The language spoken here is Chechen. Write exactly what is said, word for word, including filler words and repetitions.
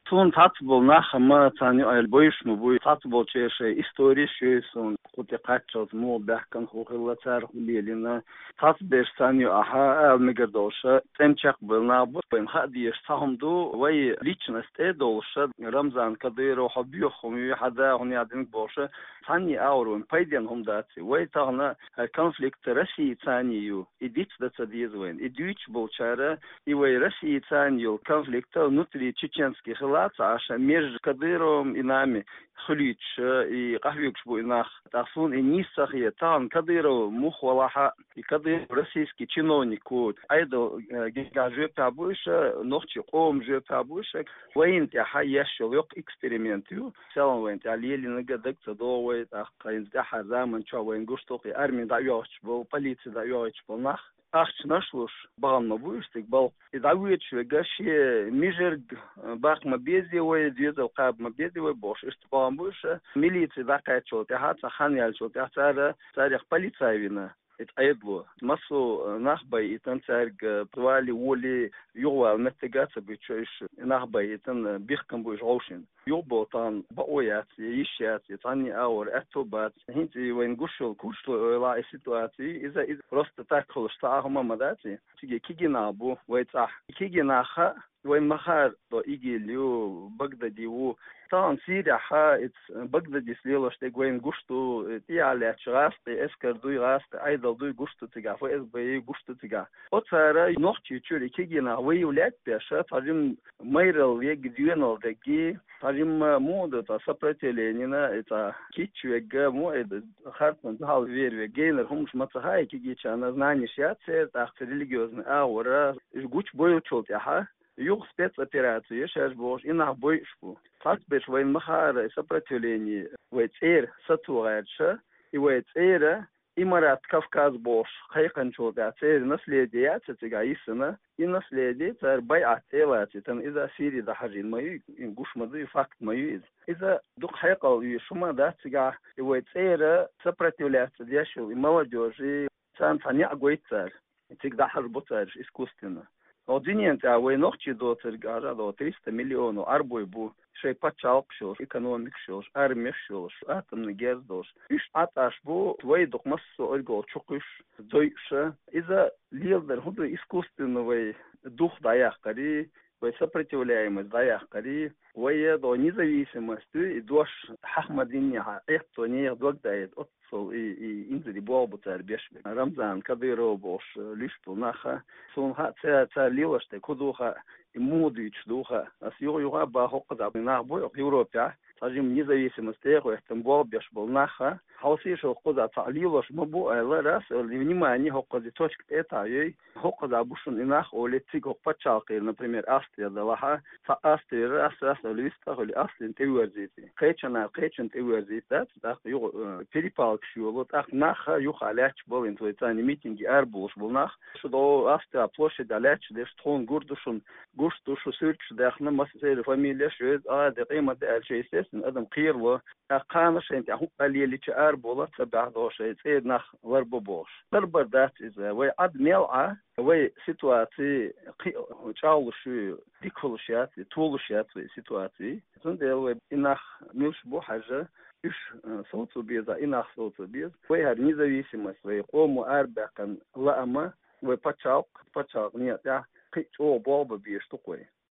Суна цхьацца болу нах ма царна юкъахь бойуш ма буй, цхьацца болчеран шайн истореш ю суна, кху тӀе кхаччалц муха баьхкина, хӀун хилла, цара хӀун лелийна. Цхьацца берш царна юкъахь ала мегар долуш, тӀеман чекхбевлла нах бу, вайна хаа дезаш цхьа хӀума ду, вай личность тӀе а долуш, Рамзан Кадыров, хьо боьха хӀума ю, хьан да хӀун яздинарг бохуш, цхьанний агӀор вайна пайденна хӀума дац и. Вай тахана хӀара конфликт Россица ю, и диц дан ца деза вайна. И дуьйцуш болчара, и вай Россица йолу конфликт внутри чеченский хила ца Ӏаш, между Кадыровым и нами хуьлуьйтуш, и къахьоьгуш бу и нах. ТӀаккха суна и нийса ца хета, тахана Кадыров муха валахь а, и Кадыров российский чиновник ву, Ӏедал, э, гергахь жоьпехь бу уьш, нохчийн къоман жоьпехь бу уьш, вайна тӀехь еш йолу йоккха эксперимент ю. Селхана вайна тӀехь лелийнарг дага ца догӀу вай, тӀаккха хӀинца тӀаьххьара заман чохь вайна гуш ду-кх и арми дӀайохьуш болу, полици дӀайохьуш болу нах. Ахчанаш луш, бахана ма бу уьш цига балха. И дӀавоьдуш верг шен мижарг, э, баккха ма беза вай, доьзал кхаба ма беза вай бохуш, иштта бахана бу уьш. Милици дӀакхаьччул тӀаьхьа, цхьа хан яьллачул тӀаьхьа цара царех полицай вина. И Ӏедало массо а нах байъийтина, цаьрга, э, вали, воли, юхавала меттиг а ца буьтуш, уьш нах байъийтина, бихкина бу уьш гӀовшина. Юха боху тахана бакъо яц, я йиш яц, я цхьанний агӀор аьтто бац. ХӀинца и вайна гуш йолу курчалой эвлахь, и ситуаци, иза, иза просто так хуьлуш цхьа а хӀума ма дац и. Цига кегий нах бу вай цӀахь. Кегий нах а, вайна ма хаара, до ИГИЛ ю, Багдади ву. Тахана Сирехь а, иза Багдадис лелош дерг вайна гуш ду, тӀехьа лаьтташ гӀазкхи эскар дуй, гӀазкхи Ӏедал дуй гуш ду цигахь, ФСБ ю гуш ду цигахь. Оцара Нохчийчуьра и кегий нах вай лаьтта беш, цхьа жимма майралла верг, доьналла дерг, цхьа жимма муха ду цхьа сопротивленина, и цхьа кийча верг, муха и харцонна дуьхьал вер верг, генара хӀуманаш ма ца хаьа кегийчарна, знанеш яц церан, тӀаккха церан религиозный агӀора, уьш гучубевллачул тӀаьхьа, юха спецопераци ю шаьш бохуш, и нах бойуш бу. Цхьацца берш вайна ма хаара, и сопротивление вай цӀера сацо гӀерташ, и вай цӀера Имарат Кавказ бохуш кхайкхинчул тӀаьхьа церан наследие яц цигахь йисина, и наследие цара байӀат тӀе а лацийтина, иза Сири дӀахьажийна ма ю, и гуш ма ду, и факт ма ю иза. Иза дукха хьекъал оьшу хӀума дац цигахь, и вай цӀера сопротивляться деш йолу и молодёжи, царна цхьа неӀ гойту цара. Цига дӀахьажа бу цара уьш искусственно. Оцу дуьненан тӀехь вай нохчий доцург, аьлла, триста миллион арбой бу, шайн пачхьалкхаш йолуш, экономикаш йолуш, армеш йолуш, атомный герз долуш. Уьш Ӏад Ӏаш бу, вай дукха массо а оьргал чу кхуьйсуш, дойуш. Иза леладар хӀун ду, искусственно вай дух дӀаяккхарий, вай сопротивляемость дӀаяккхарий, вай я до независимость дуй, и дош хьаха ма диннехьа, этту нехан дог даийта, оццул и, и инзаре болх бу цара беш берг. Рамзан Кадыров бохуш, э, луьйш болу нах а, суна хаьа, ца-, цара лелош дерг хӀун ду хаьа, и муха дуьйцуш ду хаьа. Ас юха-юха а боху, хӀокхузахь нах бу Европехь, цхьа жимма независимость тӀе а хӀоьттина болх беш болу нах а, хьовсийша, хӀокхузахь цхьаъ лелош ма бу аьлла, раз а внимание хӀокхузахь точка тӀе а таӀйой, хӀокхузахь бу шуна и нах олий, цига хӀокху пачхьалкхера, например, Австрия далахь а, цхьа Австрияра ас, ас а вист а хуьлий, Австрина тӀеверзийта. Кхечанхьа кхечанна тӀеверзийта дац, тӀаккха юха, э, перепалкаш йолу, тӀаккха нах а юха лаьтташ болу, хӀинца вай царна митинге арабовлуш болу нах. Шу до Австрия площадь лаьтташ дерш тхуна гур ду шуна, гуш ду шу суьрташ даьхна, массеран фамилеш а, веза а, де къемат де аьлча, естественно, адам кхерало. ТӀаккха кхана шайна тӀехь хӀуъа лелича арабовла, ца баьхьа догӀу шайн цӀера нах ларбо бохуш. Ларбар дац иза. Вай Ӏад мел Ӏа, вай ситуаци кхин а чӀагӀлуш ю, дика хуьлуш яц, толуш яц вай ситуаци. Цундела вай и нах муьлш бу хьажа, уьш, э, совцо беза, и нах совцо беза. Вай хӀара независимость, вай къомо арабаьккхина лаама, вай пачхьалкх, пачхьалкх некъа тӀехь кхин а чӀогӀа болх бан безаш ду-кх вай.